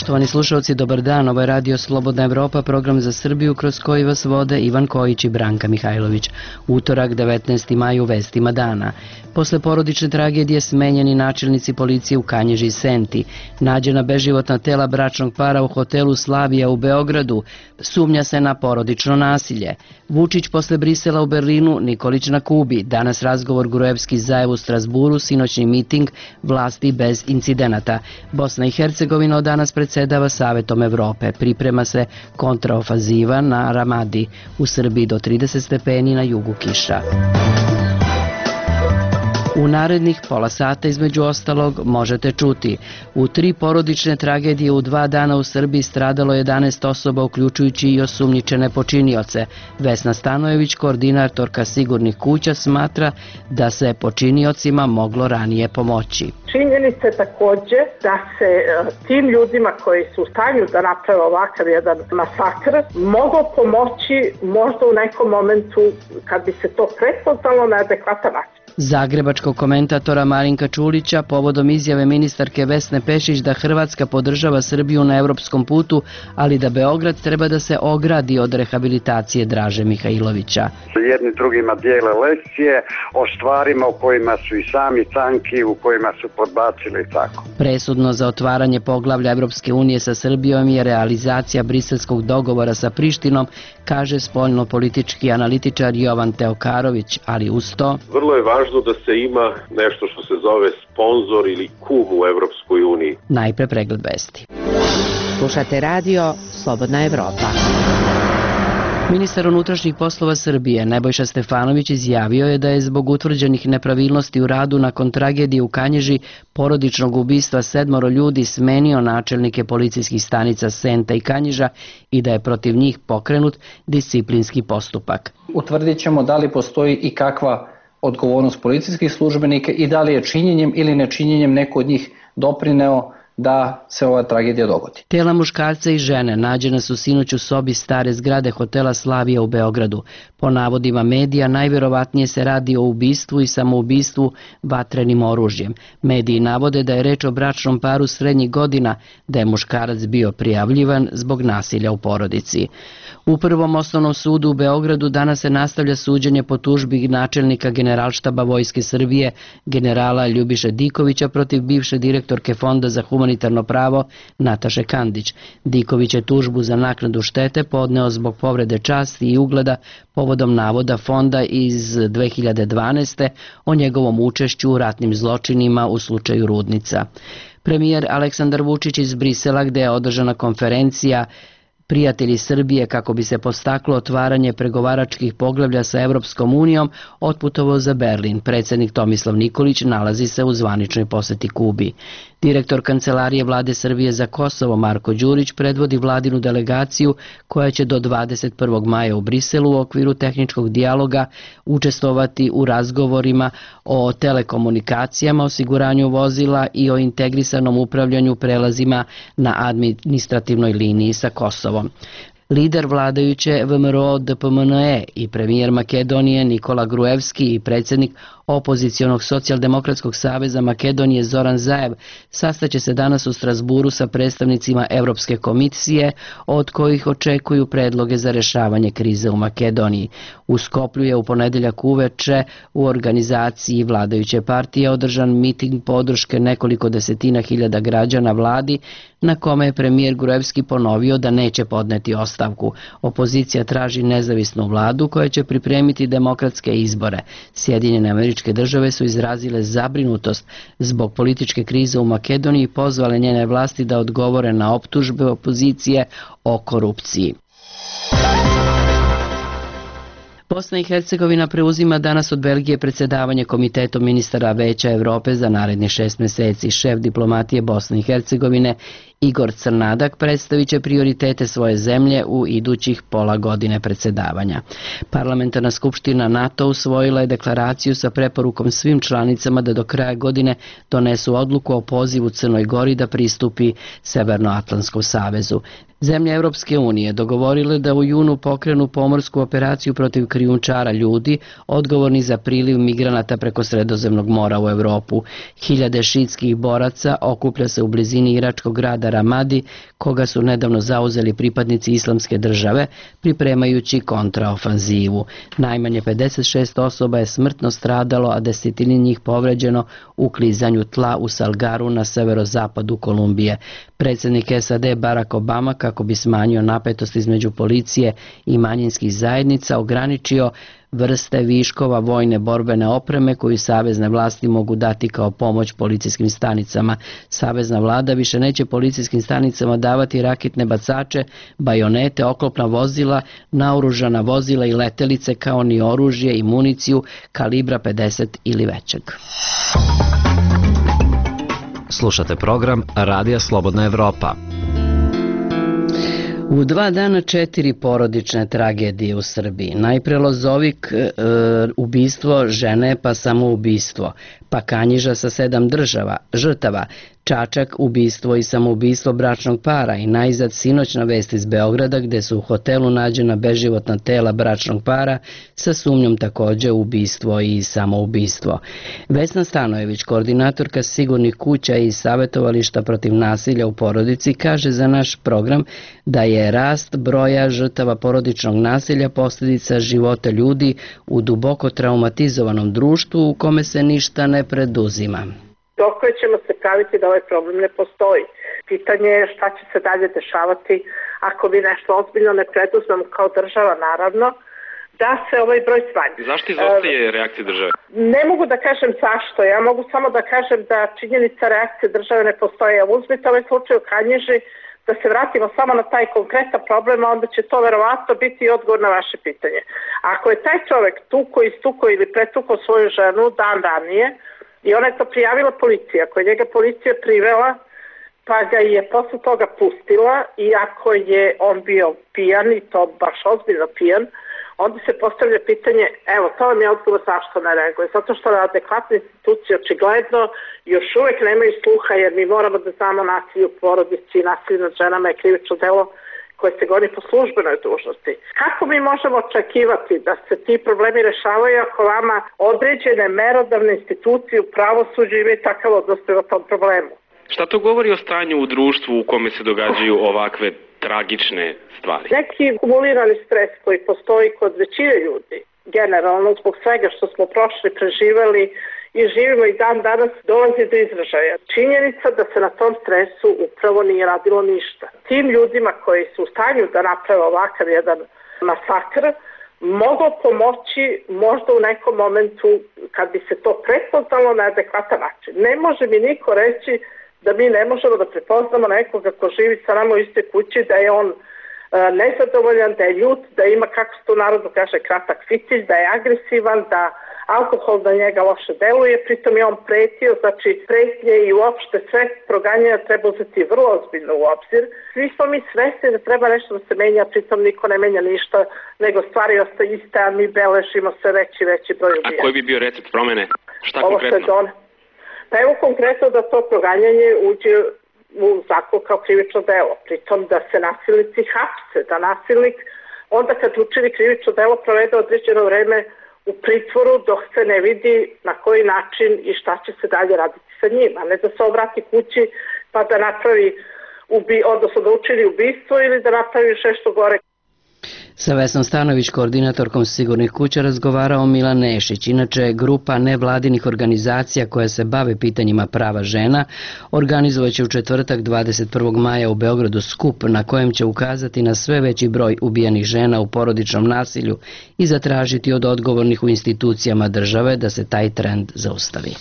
Poštovani slušalci, dobar dan. Ovo je Radio Slobodna Evropa, program za Srbiju kroz koji vas vode Ivan Kojić i Branka Mihajlović. Utorak, 19. maj, u vestima dana. Posle porodične tragedije smenjeni načelnici policije u Kanjiži i Senti. Nađena beživotna tela bračnog para u hotelu Slavija u Beogradu. Sumnja se na porodično nasilje. Vučić posle Brisela u Berlinu, Nikolić na Kubi. Danas razgovor Gruevski-Zaev u Strasburu, sinoćni miting, vlasti bez incidenata. Bosna i Hercegovina od danas predsedava Savetom Evrope. Priprema se kontraofaziva na Ramadi. U Srbiji do 30 stepeni, na jugu kiša. U narednih pola sata, između ostalog, možete čuti: u 3 porodične tragedije u 2 dana u Srbiji stradalo 11 osoba, uključujući i osumnjičene počinioce. Vesna Stanojević, koordinatorka Sigurnih kuća, smatra da se počiniocima moglo ranije pomoći. Činjenica je takođe da se tim ljudima koji su u stanju da naprave ovakav jedan masakr moglo pomoći možda u nekom momentu kad bi se to prepoznalo na adekvatan način. Zagrebačkog komentatora Marinka Čulića povodom izjave ministarke Vesne Pešić da Hrvatska podržava Srbiju na evropskom putu, ali da Beograd treba da se ogradi od rehabilitacije Draže Mihajlovića. Jedni drugima dijele lekcije o stvarima u kojima su i sami tanki, u kojima su podbacili i tako. Presudno za otvaranje poglavlja Evropske unije sa Srbijom je realizacija briselskog dogovora sa Prištinom, kaže spoljno-politički analitičar Jovan Teokarović, ali uz to... Vrlo je važno da se ima nešto što se zove sponzor ili kum u Evropskoj uniji. Najpre pregled vesti. Slušate radio Slobodna Evropa. Ministar unutrašnjih poslova Srbije Nebojša Stefanović izjavio je da je zbog utvrđenih nepravilnosti u radu nakon tragedije u Kanjiži, porodičnog ubistva 7 ljudi, smenio načelnike policijskih stanica Senta i Kanjiža i da je protiv njih pokrenut disciplinski postupak. Utvrdit ćemo da li postoji i kakva odgovornost policijskih službenika i da li je činjenjem ili nečinjenjem neko od njih doprineo da se ova tragedija dogodi. Tela muškarca i žene nađena su sinoć u sobi stare zgrade hotela Slavija u Beogradu. Po navodima medija, najverovatnije se radi o ubistvu i samoubistvu vatrenim oružjem. Mediji navode da je reč o bračnom paru srednjih godina, da je muškarac bio prijavljivan zbog nasilja u porodici. U Prvom osnovnom sudu u Beogradu danas se nastavlja suđenje po tužbi načelnika Generalštaba Vojske Srbije, generala Ljubiše Dikovića, protiv bivše direktorke Fonda za humanitarno pravo Nataše Kandić. Diković je tužbu za naknadu štete podneo zbog povrede časti i ugleda povodom navoda Fonda iz 2012. o njegovom učešću u ratnim zločinima u slučaju Rudnica. Premijer Aleksandar Vučić iz Brisela, gde je održana konferencija Prijatelji Srbije kako bi se podstaklo otvaranje pregovaračkih poglavlja sa Evropskom unijom, otputovao za Berlin. Predsjednik Tomislav Nikolić nalazi se u zvaničnoj poseti Kubi. Direktor Kancelarije Vlade Srbije za Kosovo Marko Đurić predvodi vladinu delegaciju koja će do 21. maja u Briselu u okviru tehničkog dijaloga učestvovati u razgovorima o telekomunikacijama, osiguranju vozila i o integrisanom upravljanju prelazima na administrativnoj liniji sa Kosovom. Lider vladajuće VMRO-DPMNE i premijer Makedonije Nikola Gruevski i predsjednik opozicionog socijaldemokratskog saveza Makedonije Zoran Zaev sastaće se danas u Strasburu sa predstavnicima Evropske komisije, od kojih očekuju predloge za rešavanje krize u Makedoniji. U Skoplju je u ponedeljak uveče u organizaciji vladajuće partije održan miting podrške nekoliko desetina hiljada građana vladi, na kome je premijer Gruevski ponovio da neće podneti ostavku. Opozicija traži nezavisnu vladu koja će pripremiti demokratske izbore. Sjedinjene Američke Države su izrazile zabrinutost zbog političke krize u Makedoniji i pozvale njene vlasti da odgovore na optužbe opozicije o korupciji. Bosna i Hercegovina preuzima danas od Belgije predsjedavanje Komitetom ministara Veća Evrope za narednih 6 meseci. Šef diplomatije Bosne i Hercegovine Igor Crnadak predstavit će prioritete svoje zemlje u idućih pola godine predsjedavanja. Parlamentarna skupština NATO usvojila je deklaraciju sa preporukom svim članicama da do kraja godine donesu odluku o pozivu Crnoj Gori da pristupi Severnoatlantskom savezu. Zemlje Evropske unije dogovorile da u junu pokrenu pomorsku operaciju protiv krijumčara ljudi, odgovorni za priliv migranata preko Sredozemnog mora u Evropu. Hiljade šiitskih boraca okuplja se u blizini iračkog grada Ramadi, koga su nedavno zauzeli pripadnici Islamske države, pripremajući kontraofanzivu. Najmanje 56 osoba je smrtno stradalo, a desetine njih povređeno u klizanju tla u Salgaru na severozapadu Kolumbije. Predsjednik SAD Barack Obama, kako bi smanjio napetost između policije i manjinskih zajednica, ograničio vrste viškova vojne borbene opreme koju savezne vlasti mogu dati kao pomoć policijskim stanicama. Savezna vlada više neće policijskim stanicama davati raketne bacače, bajonete, oklopna vozila, naoružana vozila i letelice, kao ni oružje i municiju kalibra 50 ili većeg. Slušate program Radija Slobodna Evropa. U 2 dana 4 porodične tragedije u Srbiji. Najpre Lozovik, ubistvo žene pa samoubistvo, pa Kanjiža sa 7 žrtava, Čačak, ubistvo i samoubistvo bračnog para i najzad sinoćna vest iz Beograda gde su u hotelu nađena beživotna tela bračnog para sa sumnjom takođe ubistvo i samoubistvo. Vesna Stanojević, koordinatorka Sigurnih kuća i savjetovališta protiv nasilja u porodici, kaže za naš program da je rast broja žrtava porodičnog nasilja posljedica života ljudi u duboko traumatizovanom društvu u kome se ništa ne preduzima. Dok ćemo se praviti da ovaj problem ne postoji. Pitanje je šta će se dalje dešavati ako mi nešto ozbiljno ne preduzmemo kao država, naravno, da se ovaj broj smanji. Zašto izostaje reakcija države? Ne mogu da kažem zašto, ja mogu samo da kažem da činjenica reakcije države ne postoji. Ja uzmite ovaj slučaj u Kanjiži, da se vratimo samo na taj konkretan problem, onda će to verovatno biti odgovor na vaše pitanje. Ako je taj čovek istukao ili pretukao svoju ženu dan ranije, i ona je to prijavila policiji, ako je njega policija privela, pa ga je posle toga pustila, i ako je on bio pijan, i to baš ozbiljno pijan, onda se postavlja pitanje, evo, to vam je odgovor zašto ne reaguje. Zato što adekvatne institucije očigledno još uvek nemaju sluha, jer mi moramo da znamo nasilje u porodici i nasilje nad ženama je krivično delo koje se goni po službenoj dužnosti. Kako mi možemo očekivati da se ti problemi rešavaju ako vama određene merodavne institucije u pravosuđu imaju takav odnos prema tom problemu? Šta to govori o stanju u društvu u kome se događaju ovakve tragične stvari? Neki kumulirani stres koji postoji kod većine ljudi, generalno zbog svega što smo prošli, preživali i živimo i dan danas, dolazi do izražaja. Činjenica da se na tom stresu upravo nije radilo ništa. Tim ljudima koji su u stanju da naprave ovakav jedan masakr moglo pomoći možda u nekom momentu kad bi se to prepoznalo na adekvatan način. Ne može mi niko reći da mi ne možemo da prepoznamo nekoga ko živi sa nama u istoj kući, da je on nezadovoljan, da je ljut, da ima, kako se to narodno kaže, kratak fitilj, da je agresivan, da alkohol na njega loše deluje, pritom je on pretio, znači pretnje i uopšte sve proganjanja treba uzeti vrlo ozbiljno u obzir. Svi smo mi svesni da treba nešto da se menja, pritom niko ne menja ništa, nego stvari ostaje iste, a mi beležimo sve veći broj ubijanja. A koji bi bio recept promene? Šta konkretno? Pa evo konkretno da to proganjanje uđe u zakon kao krivično delo, pritom da se nasilnici hapse, da nasilnik onda kad učini krivično delo provede određeno vreme u pritvoru dok se ne vidi na koji način i šta će se dalje raditi sa njim, a ne da se obrati kući pa da napravi odnosno da učini ubistvo ili da napravi još nešto gore. Sa Vesnom Stanović, koordinatorkom Sigurnih kuća, razgovarao Milan Nešić. Inače, grupa nevladinih organizacija koja se bave pitanjima prava žena organizovaće u četvrtak 21. maja u Beogradu skup na kojem će ukazati na sve veći broj ubijenih žena u porodičnom nasilju i zatražiti od odgovornih u institucijama države da se taj trend zaustavi.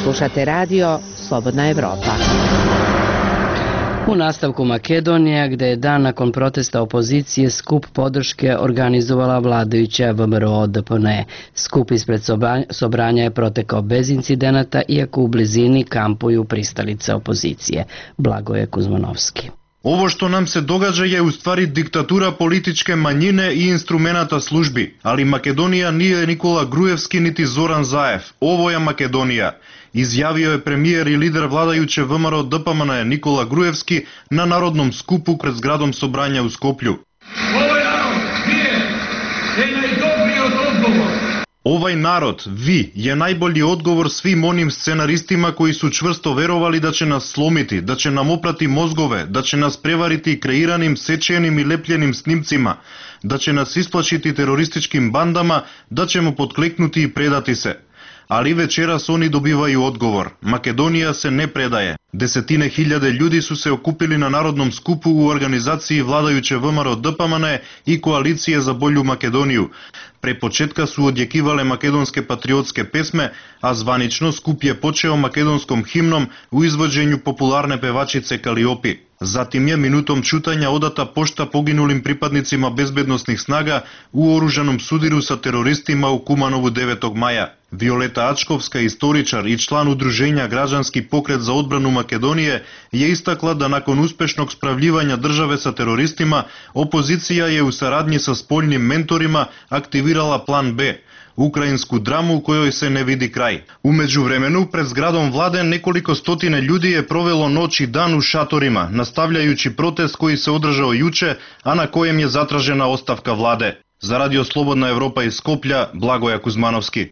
Slušate radio Slobodna Evropa. U nastavku Makedonija, gde je dan nakon protesta opozicije skup podrške organizovala vladajuća VMRO-DPN. Skup ispred Sobranja je protekao bez incidenata, iako u blizini kampuju pristalice opozicije. Blagoje Kuzmanovski. Ovo što nam se događa je u stvari diktatура политичке мањине и инструментата служби, али Македонија nije Никола Груевски niti Зоран Заев. Ovo je Македонија, изјавио е премиер и лидер владајуче ВМРО ДПМН Никола Груевски на народном скупу пред зградом Собрања у Скопљу. Овој народ ние е најдобриот одговор Ovaj narod, vi, je najbolji odgovor svim onim scenaristima koji su čvrsto verovali da će nas slomiti, da će nam oprati mozgove, da će nas prevariti kreiranim, sečenim i lepljenim snimcima, da će nas isplašiti terorističkim bandama, da ćemo potkleknuti i predati se. Ali večeras oni dobivaju odgovor. Makedonija se ne predaje. Desetine hiljade ljudi su se okupili na narodnom skupu u organizaciji vladajuće ВМРО ДПМН i Koalicije za bolju Makedoniju. Pre početka su odjekivale makedonske patriotske pesme, a zvanično skup je počeo makedonskom himnom u izvođenju popularne pevačice Kaliopi. Zatim je minutom ćutanja odata pošta poginulim pripadnicima bezbednosnih snaga u oružanom sudiru sa teroristima u Kumanovu 9. maja. Violeta Ačkovska, istoričar i član udruženja Građanski pokret za odbranu Makedonije, je istakla da nakon uspešnog spravljivanja države sa teroristima, opozicija je u saradnji sa spoljnim mentorima aktivirala plan B, ukrajinsku dramu u kojoj se ne vidi kraj. U međuvremenu, pred zgradom vlade nekoliko stotine ljudi je provelo noć i dan u šatorima, nastavljajući protest koji se održao juče, a na kojem je zatražena ostavka vlade. Za Radio Slobodna Evropa iz Skoplja, Blagoja Kuzmanovski.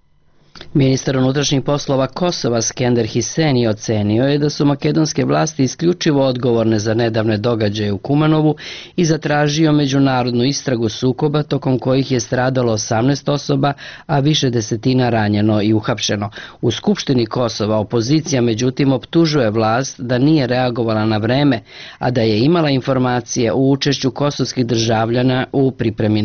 Ministar unutrašnjih poslova Kosova Skender Hiseni ocenio je da su makedonske vlasti isključivo odgovorne za nedavne događaje u Kumanovu i zatražio međunarodnu istragu sukoba tokom kojih je stradalo 18 osoba, a više desetina ranjeno i uhapšeno. U Skupštini Kosova opozicija međutim optužuje vlast da nije reagovala na vreme, a da je imala informacije o učešću kosovskih državljana u pripremi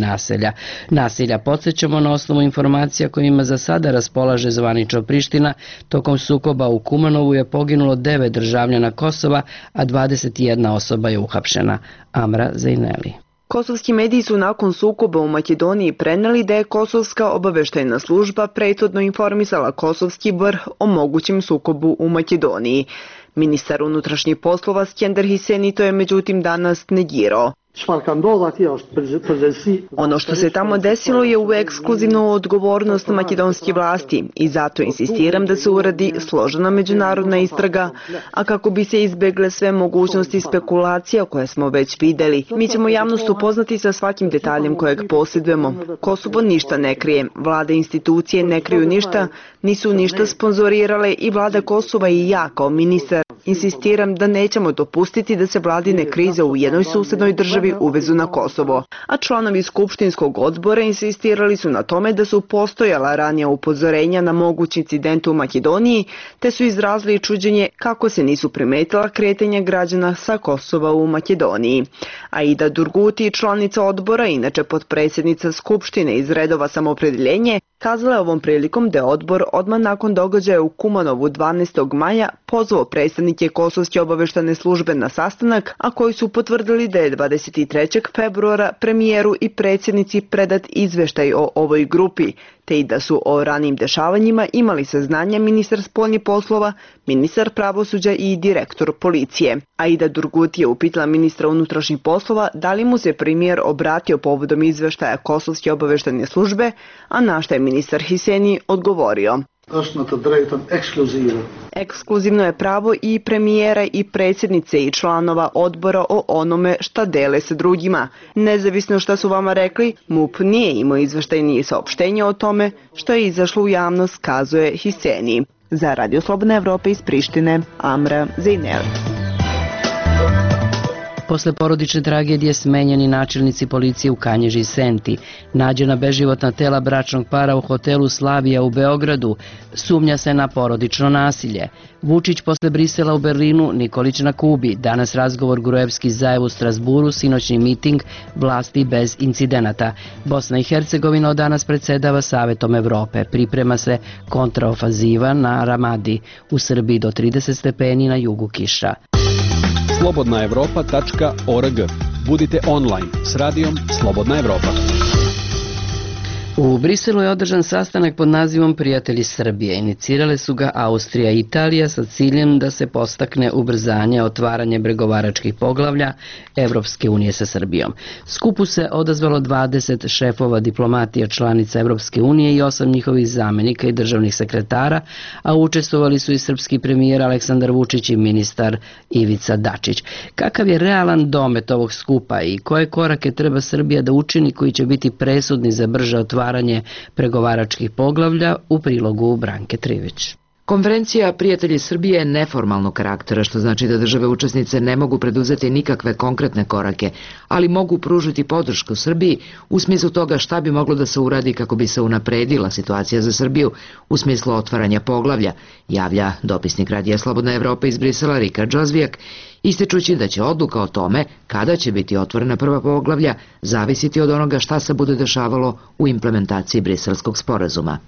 nasilja. Podsjećamo na osnovu informacija kojima za sada raspolaže zvanično Priština, tokom sukoba u Kumanovu je poginulo 9 državljana Kosova, a 21 osoba je uhapšena. Amra Zejneli. Kosovski mediji su nakon sukoba u Makedoniji preneli da je Kosovska obaveštajna služba prethodno informisala kosovski vrh o mogućem sukobu u Makedoniji. Ministar unutrašnjih poslova Skender Hiseni to je međutim danas negirao. Ono što se tamo desilo je u ekskluzivnu odgovornost makedonskih vlasti i zato insistiram da se uradi složena međunarodna istraga, a kako bi se izbegle sve mogućnosti spekulacija koje smo već videli. Mi ćemo javnost upoznati sa svakim detaljem kojeg posjedujemo. Kosovo ništa ne krije, vlade i institucije ne kriju ništa, nisu ništa sponzorirale i vlada Kosova i ja kao ministar insistiram da nećemo dopustiti da se vladine krize u jednoj susednoj državi uvezu na Kosovo. A članovi Skupštinskog odbora insistirali su na tome da su postojala ranija upozorenja na mogući incident u Makedoniji, te su izrazili čuđenje kako se nisu primetila kretanja građana sa Kosova u Makedoniji. Aida Durguti, članica odbora, inače potpredsjednica Skupštine iz redova Samoopredjeljenje, kazala je ovom prilikom da je odbor odmah nakon događaja u Kumanovu 12. maja pozvao predstavnike Kosovske obaveštane službe na sastanak, a koji su potvrdili da je 23. februara premijeru i predsjednici predat izveštaj o ovoj grupi, te i da su o ranijim dešavanjima imali saznanja ministar spoljnih poslova, ministar pravosuđa i direktor policije. Aida Durguti je upitala ministra unutrašnjih poslova da li mu se premijer obratio povodom izveštaja Kosovske obaveštane službe, a na što je ministar Hiseni odgovorio. Ekskluzivno je pravo i premijera i predsjednice i članova odbora o onome šta dele sa drugima. Nezavisno šta su vama rekli, MUP nije imao izveštaj ni saopštenje o tome što je izašlo u javnost, kazuje Hiseni. Za Radio Slobodna Evropa iz Prištine, Amra Zejneli. Posle porodične tragedije smenjeni načelnici policije u Kanjiži i Senti. Nađena beživotna tela bračnog para u hotelu Slavija u Beogradu. Sumnja se na porodično nasilje. Vučić posle Brisela u Berlinu, Nikolić na Kubi. Danas razgovor Gruevski-Zaev u Strasburu, sinoćni miting, vlasti bez incidenata. Bosna i Hercegovina od danas predsedava Savetom Evrope. Priprema se kontraofaziva na Ramadi. U Srbiji do 30 stepeni, na jugu kiša. slobodnaevropa.org. Budite online s radijom Slobodna Evropa. U Briselu je održan sastanak pod nazivom Prijatelji Srbije. Inicirale su ga Austrija i Italija sa ciljem da se podstakne ubrzanje otvaranje pregovaračkih poglavlja Evropske unije sa Srbijom. Skupu se odazvalo 20 šefova diplomatija članica Evropske unije i 8 njihovih zamenika i državnih sekretara, a učestvovali su i srpski premijer Aleksandar Vučić i ministar Ivica Dačić. Kakav je realan domet ovog skupa i koje korake treba Srbija da učini koji će biti presudni za brže otvaranje otvaranje pregovaračkih poglavlja, u prilogu Branke Trivić. Konferencija Prijatelji Srbije je neformalnog karaktera, što znači da države učesnice ne mogu preduzeti nikakve konkretne korake, ali mogu pružiti podršku Srbiji u smislu toga šta bi moglo da se uradi kako bi se unapredila situacija za Srbiju u smislu otvaranja poglavlja, javlja dopisnik Radija Slobodna Evropa iz Brisela Rika Džozvijak, ističući da će odluka o tome kada će biti otvorena prva poglavlja zavisiti od onoga šta se bude dešavalo u implementaciji Briselskog sporazuma.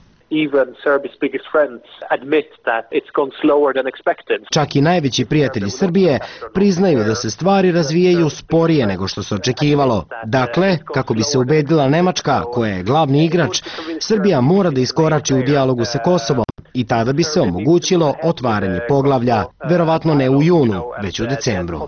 Čak i najveći prijatelji Srbije priznaju da se stvari razvijaju sporije nego što se očekivalo. Dakle, kako bi se ubedila Nemačka, koja je glavni igrač, Srbija mora da iskorači u dijalogu sa Kosovom i tada bi se omogućilo otvaranje poglavlja, verovatno ne u junu, već u decembru.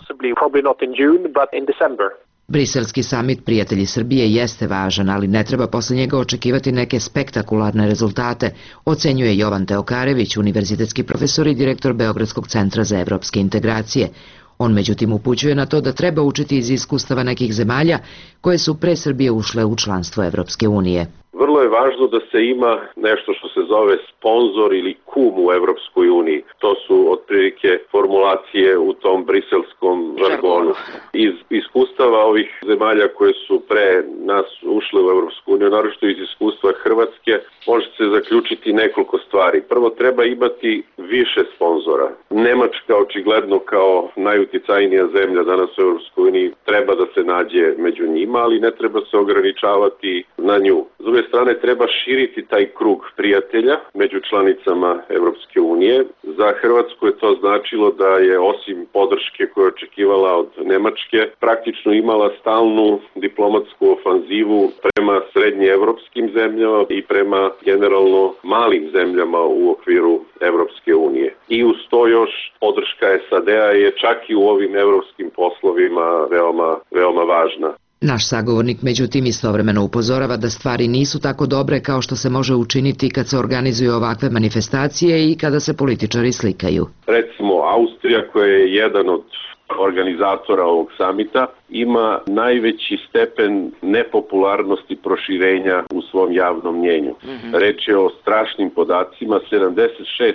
Briselski samit Prijatelji Srbije jeste važan, ali ne treba posle njega očekivati neke spektakularne rezultate, ocenjuje Jovan Teokarević, univerzitetski profesor i direktor Beogradskog centra za evropske integracije. On međutim upućuje na to da treba učiti iz iskustava nekih zemalja koje su pre Srbije ušle u članstvo Evropske unije. Vrlo je važno da se ima nešto što se zove sponzor ili kum u Evropskoj uniji. To su otprilike formulacije u tom briselskom žargonu. Iz iskustava ovih zemalja koje su pre nas ušle u Evropsku uniju, naročito iz iskustva Hrvatske, može se zaključiti nekoliko stvari. Prvo, treba imati više sponzora. Nemačka, očigledno kao najuticajnija zemlja danas u Evropskoj uniji, treba da se nađe među njima, ali ne treba se ograničavati na nju. S druge strane, treba širiti taj krug prijatelja među članicama Evropske unije. Za Hrvatsku je to značilo da je osim podrške koju je očekivala od Nemačke, praktično imala stalnu diplomatsku ofanzivu prema srednjeevropskim zemljama i prema generalno malim zemljama u okviru Evropske unije. I uz to još podrška SAD-a je čak i u ovim evropskim poslovima veoma važna. Naš sagovornik međutim istovremeno upozorava da stvari nisu tako dobre kao što se može učiniti kad se organizuju ovakve manifestacije i kada se političari slikaju. Recimo, Austrija, koja je jedan od organizatora ovog samita, ima najveći stepen nepopularnosti proširenja u svom javnom mnjenju. Reč je o strašnim podacima, 76%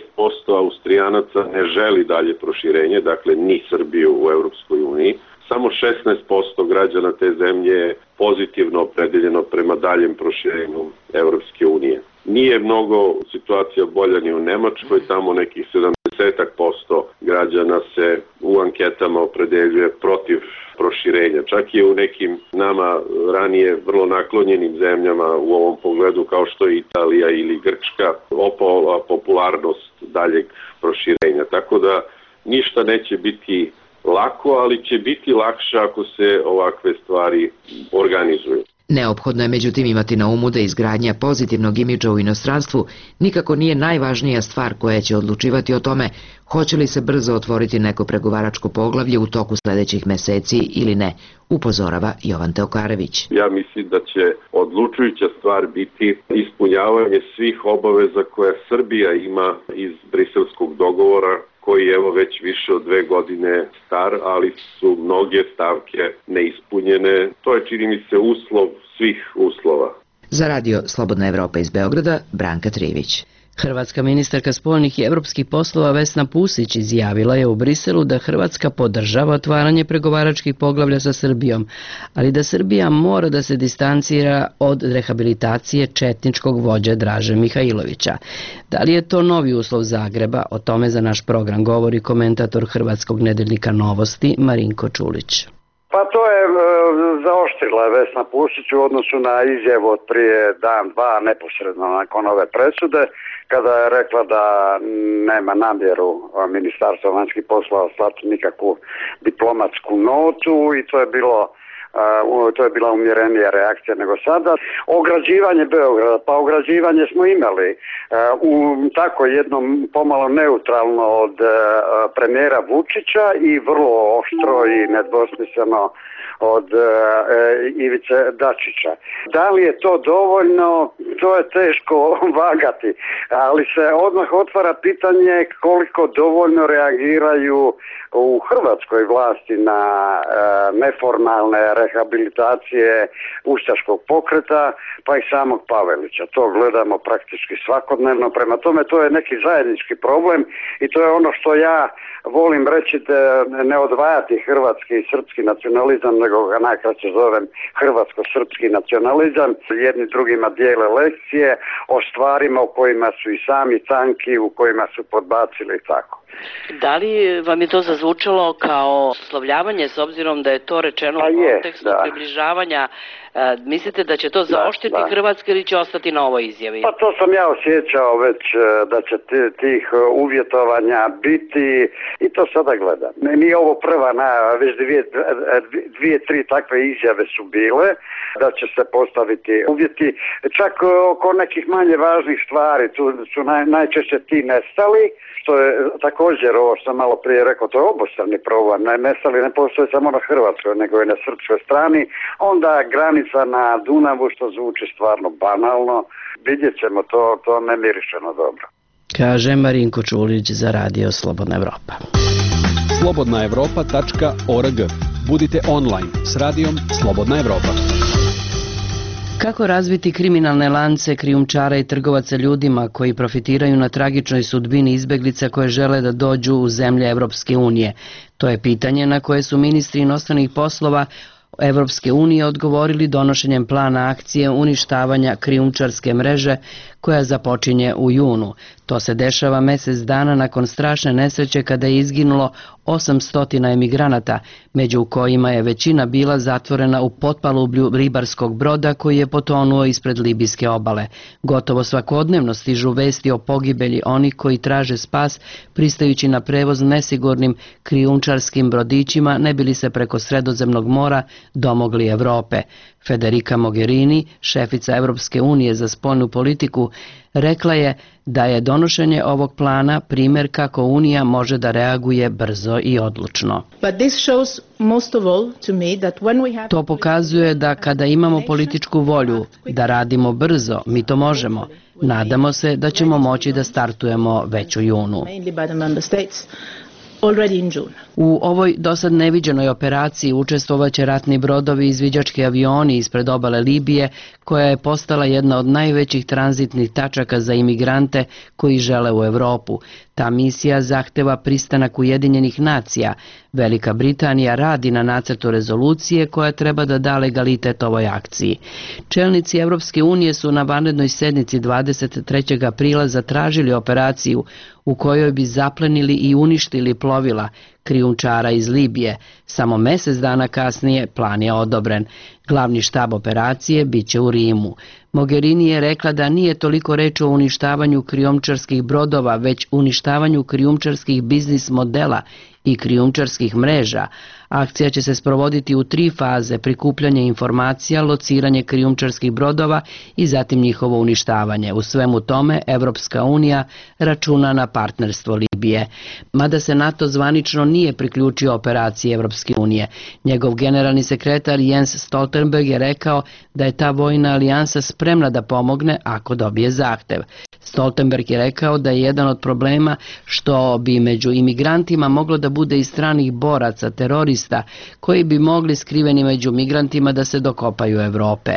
Austrijanaca ne želi dalje proširenje, dakle ni Srbiju u Evropskoj uniji. Samo 16% građana te zemlje je pozitivno opredeljeno prema daljem proširenju Evropske unije. Nije mnogo situacija bolja ni u Nemačkoj, tamo nekih 70% građana se u anketama opredeljuje protiv proširenja. Čak i u nekim nama ranije vrlo naklonjenim zemljama u ovom pogledu kao što je Italija ili Grčka opala popularnost daljeg proširenja. Tako da ništa neće biti lako, ali će biti lakše ako se ovakve stvari organizuju. Neophodno je međutim imati na umu da izgradnja pozitivnog imidža u inostranstvu nikako nije najvažnija stvar koja će odlučivati o tome hoće li se brzo otvoriti neko pregovaračko poglavlje u toku sledećih meseci ili ne, upozorava Jovan Teokarević. Ja mislim da će odlučujuća stvar biti ispunjavanje svih obaveza koje Srbija ima iz briselskog dogovora, koji je evo već više od 2 godine star, ali su mnoge stavke neispunjene. To je, čini mi se, uslov svih uslova. Za Radio Slobodna Evropa iz Beograda, Branka Trivić. Hrvatska ministarka spoljnih i evropskih poslova Vesna Pusić izjavila je u Briselu da Hrvatska podržava otvaranje pregovaračkih poglavlja sa Srbijom, ali da Srbija mora da se distancira od rehabilitacije četničkog vođe Draže Mihajlovića. Da li je to novi uslov Zagreba? O tome za naš program govori komentator hrvatskog nedeljnika Novosti Marinko Čulić. Pa to je zaoštrila Vesna Pusić u odnosu na izjavu od prije dan, dva, neposredno nakon ove presude, kada je rekla da nema namjeru Ministarstva vanjskih poslova slati nikakvu diplomatsku notu i to je bila umjerenija reakcija nego sada. Ograđivanje Beograda, pa ograđivanje smo imali u tako jednom pomalo neutralno od premijera Vučića i vrlo oštro i nedvosmisleno od Ivice Dačića. Da li je to dovoljno, to je teško vagati, ali se odmah otvara pitanje koliko dovoljno reagiraju u hrvatskoj vlasti na neformalne rehabilitacije ustaškog pokreta, pa i samog Pavelića. To gledamo praktički svakodnevno, prema tome to je neki zajednički problem i to je ono što ja volim reći, da ne odvajati hrvatski i srpski nacionalizam, nego ga najkraće zovem hrvatsko-srpski nacionalizam. Jedni drugima dijele lekcije o stvarima u kojima su i sami tanki, u kojima su podbacili i tako. Da li vam je to zazvučalo kao oslovljavanje, s obzirom da je to rečeno u kontekstu približavanja? Mislite da će to zaoštriti Hrvatske ili će ostati na ovoj izjavi? Pa to sam ja osjećao već da će tih uvjetovanja biti i to sada gledam. Nije ovo prva najava, već dvije, tri takve izjave su bile da će se postaviti uvjeti. Čak oko nekih manje važnih stvari, tu su najčešće ti nestali, što je također ovo što sam malo prije rekao, to je obostrani problem. Nestali ne postoje samo na Hrvatskoj, nego i na srpskoj strani. Onda granica na Dunavu, što zvuči stvarno banalno, vidjet ćemo, to ne miriše na dobro. Kaže Marinko Čulić za Radio Slobodna Evropa. slobodnaevropa.org. Budite online s radijom Slobodna Evropa. Kako razviti kriminalne lance krijumčara i trgovaca ljudima koji profitiraju na tragičnoj sudbini izbeglica koje žele da dođu u zemlje Evropske unije? To je pitanje na koje su ministri inostranih poslova Evropske unije odgovorili donošenjem plana akcije uništavanja krijumčarske mreže koja započinje u junu. To se dešava mjesec dana nakon strašne nesreće kada je izginulo 800 emigranata, među kojima je većina bila zatvorena u potpalublju ribarskog broda koji je potonuo ispred libijske obale. Gotovo svakodnevno stižu vesti o pogibelji onih koji traže spas pristajući na prevoz nesigurnim krijumčarskim brodićima ne bili se preko Sredozemnog mora domogli Evrope. Federica Mogherini, šefica Evropske unije za spoljnu politiku, rekla je da je donošenje ovog plana primjer kako Unija može da reaguje brzo i odlučno. To pokazuje da kada imamo političku volju da radimo brzo, mi to možemo. Nadamo se da ćemo moći da startujemo već u junu. U ovoj dosad neviđenoj operaciji učestvovaće ratni brodovi i izviđački avioni ispred obale Libije, koja je postala jedna od najvećih tranzitnih tačaka za imigrante koji žele u Evropu. Ta misija zahteva pristanak Ujedinjenih nacija. Velika Britanija radi na nacrtu rezolucije koja treba da da legalitet ovoj akciji. Čelnici Evropske unije su na vanrednoj sednici 23. aprila zatražili operaciju u kojoj bi zaplenili i uništili plovila krijumčara iz Libije. Samo mjesec dana kasnije plan je odobren. Glavni štab operacije biće u Rimu. Mogherini je rekla da nije toliko reč o uništavanju krijumčarskih brodova, već uništavanju krijumčarskih biznis modela i krijumčarskih mreža. Akcija će se sprovoditi u 3 faze: prikupljanje informacija, lociranje krijumčarskih brodova i zatim njihovo uništavanje. U svemu tome Evropska unija računa na partnerstvo Libije. Mada se NATO zvanično nije priključio operaciji Evropske unije. Njegov generalni sekretar Jens Stoltenberg je rekao da je ta vojna alijansa spremna da pomogne ako dobije zahtev. Stoltenberg je rekao da je jedan od problema što bi među imigrantima moglo da bude i stranih boraca, terorista, koji bi mogli skriveni među migrantima da se dokopaju Evrope.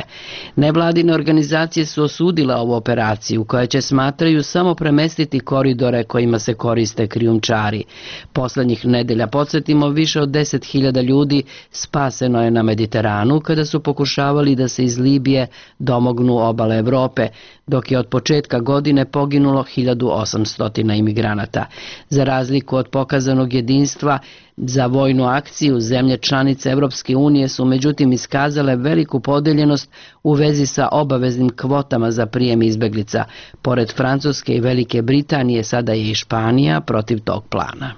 Nevladine organizacije su osudile ovu operaciju, koja će, smatraju, samo premestiti koridore kojima se koriste krijumčari. Poslednjih nedelja, podsjetimo, više od 10.000 ljudi spaseno je na Mediteranu kada su pokušavali da se iz Libije domognu obale Evrope, dok je od početka godine poginulo 1800 imigranata. Za razliku od pokazanog jedinstva za vojnu akciju, zemlje članice Evropske unije su međutim iskazale veliku podeljenost u vezi sa obaveznim kvotama za prijem izbeglica. Pored Francuske i Velike Britanije, sada je i Španija protiv tog plana.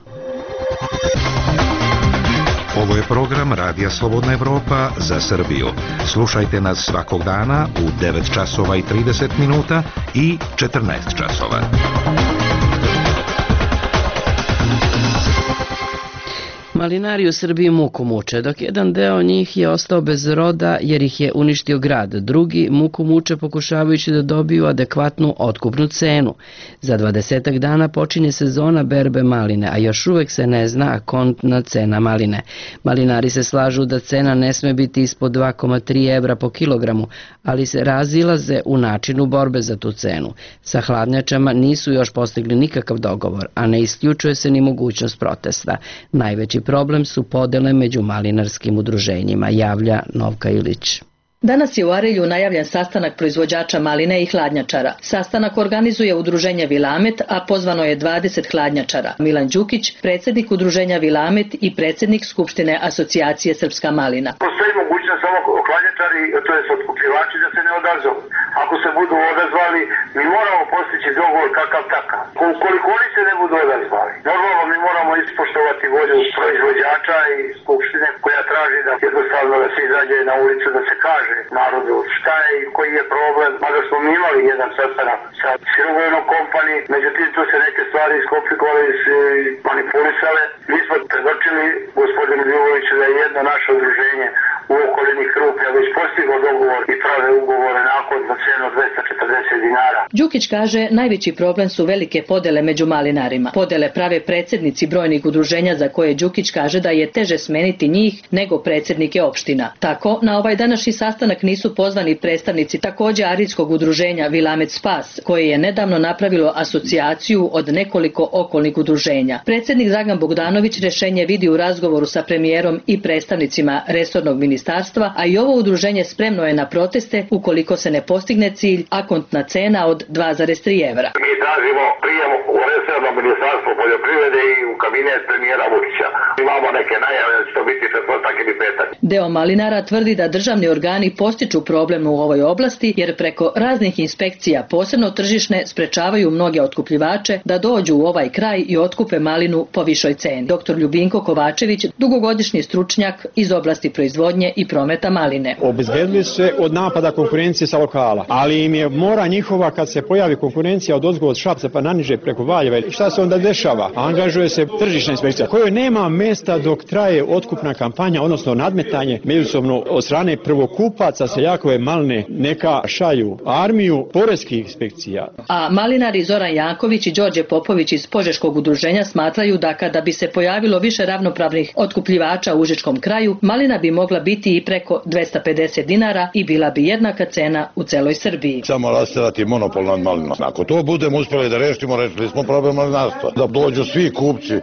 Ovo je program Radija Slobodna Evropa za Srbiju. Slušajte nas svakog dana u 9 časova i 30 minuta i 14 časova. Malinari u Srbiji muku muče, dok jedan deo njih je ostao bez roda jer ih je uništio grad. Drugi muku muče pokušavajući da dobiju adekvatnu otkupnu cenu. Za 20 dana počinje sezona berbe maline, a još uvek se ne zna kontna cena maline. Malinari se slažu da cena ne sme biti ispod 2,3 evra po kilogramu, ali se razilaze u načinu borbe za tu cenu. Sa hladnjačama nisu još postigli nikakav dogovor, a ne isključuje se ni mogućnost protesta. Najveći problem su podele među malinarskim udruženjima, javlja Novka Ilić. Danas je u Arilju najavljen sastanak proizvođača maline i hladnjačara. Sastanak organizuje udruženje Vilamet, a pozvano je 20 hladnjačara. Milan Đukić, predsjednik udruženja Vilamet i predsjednik Skupštine asocijacije Srpska malina. Postoji mogućnost samo hladnjačari, to je otkupljivači, da se ne odazovu. Ako se budu odazvali, mi moramo postići dogovor kakav takav. Ukoliko oni se ne budu odazvali, normalno mi moramo ispoštovati volju proizvođača i Skupštine koja traži da jednostavno da se izađe na ulicu da se kaže narodu šta je i koji je problem. Mada smo mi imali jedan sastanak sa Silvojnom kompaniji, međutim tu se neke stvari iskomplikovale i manipulisale. Mi smo predočili gospodinu Ljuboviću da je jedno naše udruženje u okolini Krupnja već postiglo dogovor i prave ugovore nakon za cenu 240 dinara. Đukić kaže najveći problem su velike podele među malinarima. Podele prave predsjednici brojnih udruženja za koje Đukić kaže da je teže smeniti njih nego predsjednike opština. Tako, na ovaj današnji sastanak nisu pozvani predstavnici također arilskog udruženja Vilamet Spas, koje je nedavno napravilo asocijaciju od nekoliko okolnih udruženja. Predsjednik Dragan Bogdanović rješenje vidi u razgovoru sa premijerom i predstavnicima resornog ministarstva, a i ovo udruženje spremno je na proteste ukoliko se ne postigne cilj, a kontna cena od 2,3 evra. Mi tražimo prijem u resorno ministarstvo poljoprivrede i u kabinet premijera Vučića. Imamo neke najave da će to biti četvrtak ili petak. Deo malinara tvrdi da državni organi postiču problem u ovoj oblasti jer preko raznih inspekcija, posebno tržišne, sprečavaju mnoge otkupljivače da dođu u ovaj kraj i otkupe malinu po višoj ceni. Dr. Ljubinko Kovačević, dugogodišnji stručnjak iz oblasti proizvodnje i prometa maline. Obezbedili se od napada konkurencije sa lokala, ali im je mora njihova kad se pojavi konkurencija od ozgo od Šapca pa naniže preko Valjeva. Šta se onda dešava? Angažuje se tržišna inspekcija kojoj nema mesta dok traje otkupna kampanja, odnosno nadmetanje međusobno od strane prvokupaca seljakove maline, neka šalju armiju poreskih inspekcija. A malinari Zoran Janković i Đorđe Popović iz Požeškog udruženja smatraju da kada bi se pojavilo više ravnopravnih otkupljivača u užičkom kraju, malina bi mogla biti i preko 250 dinara i bila bi jednaka cena u celoj Srbiji. Samo rasterati monopol nad malinom. Ako to budemo uspjeli da rešimo, rešili smo problem malinarstva. Da dođu svi kupci,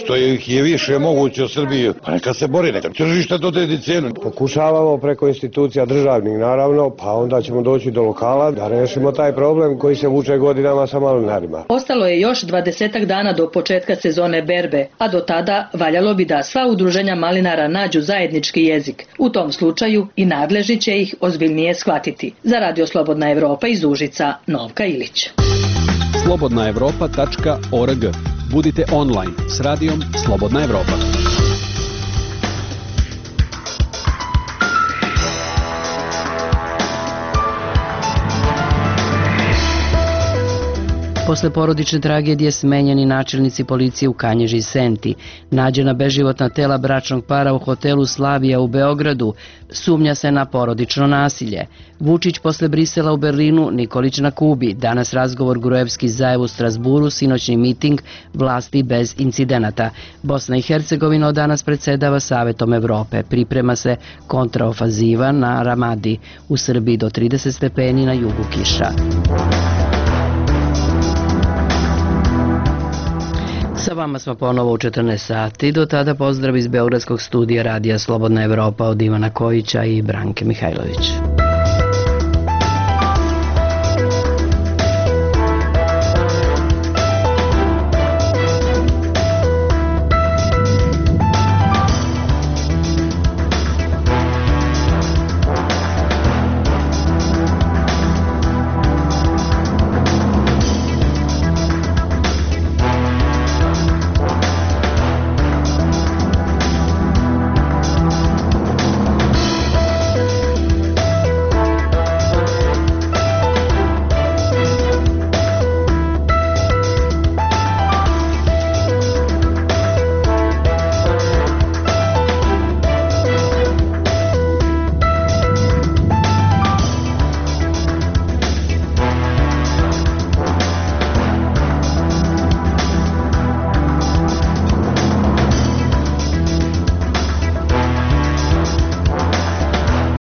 što ih je više moguće u Srbiji, pa neka se bori, neka tržište dodedi cenu. Pokušavamo preko institucija državnih naravno, pa onda ćemo doći do lokala da rešimo taj problem koji se vuče godinama sa malinarima. Ostalo je još 20 dana do početka sezone berbe, a do tada valjalo bi da sva udruženja malinara nađu zajednički jezik. U tom slučaju i nadležni će ih ozbiljnije shvatiti. Za Radio Slobodna Evropa iz Užica, Novka Ilić. slobodnaevropa.org. Budite online s radijom Slobodna Evropa. Posle porodične tragedije smenjeni načelnici policije u Kanjiži i Senti. Nađena beživotna tela bračnog para u hotelu Slavija u Beogradu. Sumnja se na porodično nasilje. Vučić posle Brisela u Berlinu, Nikolić na Kubi. Danas razgovor Gruevski-Zaev u Strasburu, sinoćni miting, vlasti bez incidenata. Bosna i Hercegovina od danas predsedava Savetom Evrope. Priprema se kontraofaziva na Ramadi. U Srbiji do 30 stepeni, na jugu kiša. Sa vama smo ponovo u 14 sati. Do tada pozdrav iz Beogradskog studija Radija Slobodna Evropa od Ivana Kojića i Branke Mihajlović.